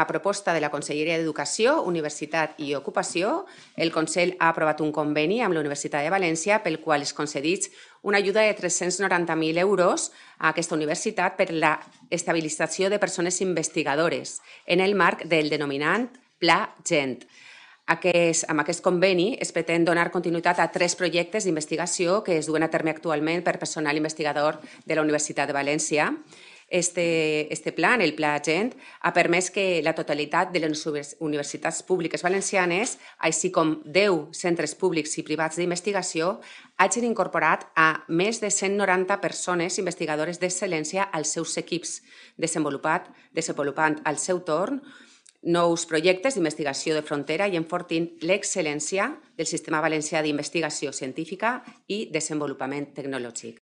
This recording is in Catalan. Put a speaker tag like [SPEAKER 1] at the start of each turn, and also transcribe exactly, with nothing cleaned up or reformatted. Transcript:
[SPEAKER 1] a proposta de la Conselleria d'Educació, Universitat i Ocupació, el Consell ha aprovat un conveni amb la Universitat de València pel qual es concedeix una ajuda de tres-cents noranta mil euros a aquesta universitat per la estabilització de persones investigadores en el marc del denominat Pla Gent. Aquest, amb aquest conveni es pretén donar continuïtat a tres projectes d'investigació que es duen a terme actualment per personal investigador de la Universitat de València. Este, este plan, el Pla Gent, ha permès que la totalitat de les universitats públiques valencianes, així com deu centres públics i privats d'investigació, hagin incorporat a més de cent noranta persones investigadores d'excel·lència als seus equips, desenvolupat, desenvolupant al seu torn nous projectes d'investigació de frontera i enfortint l'excel·lència del sistema valencià d'investigació científica i desenvolupament tecnològic.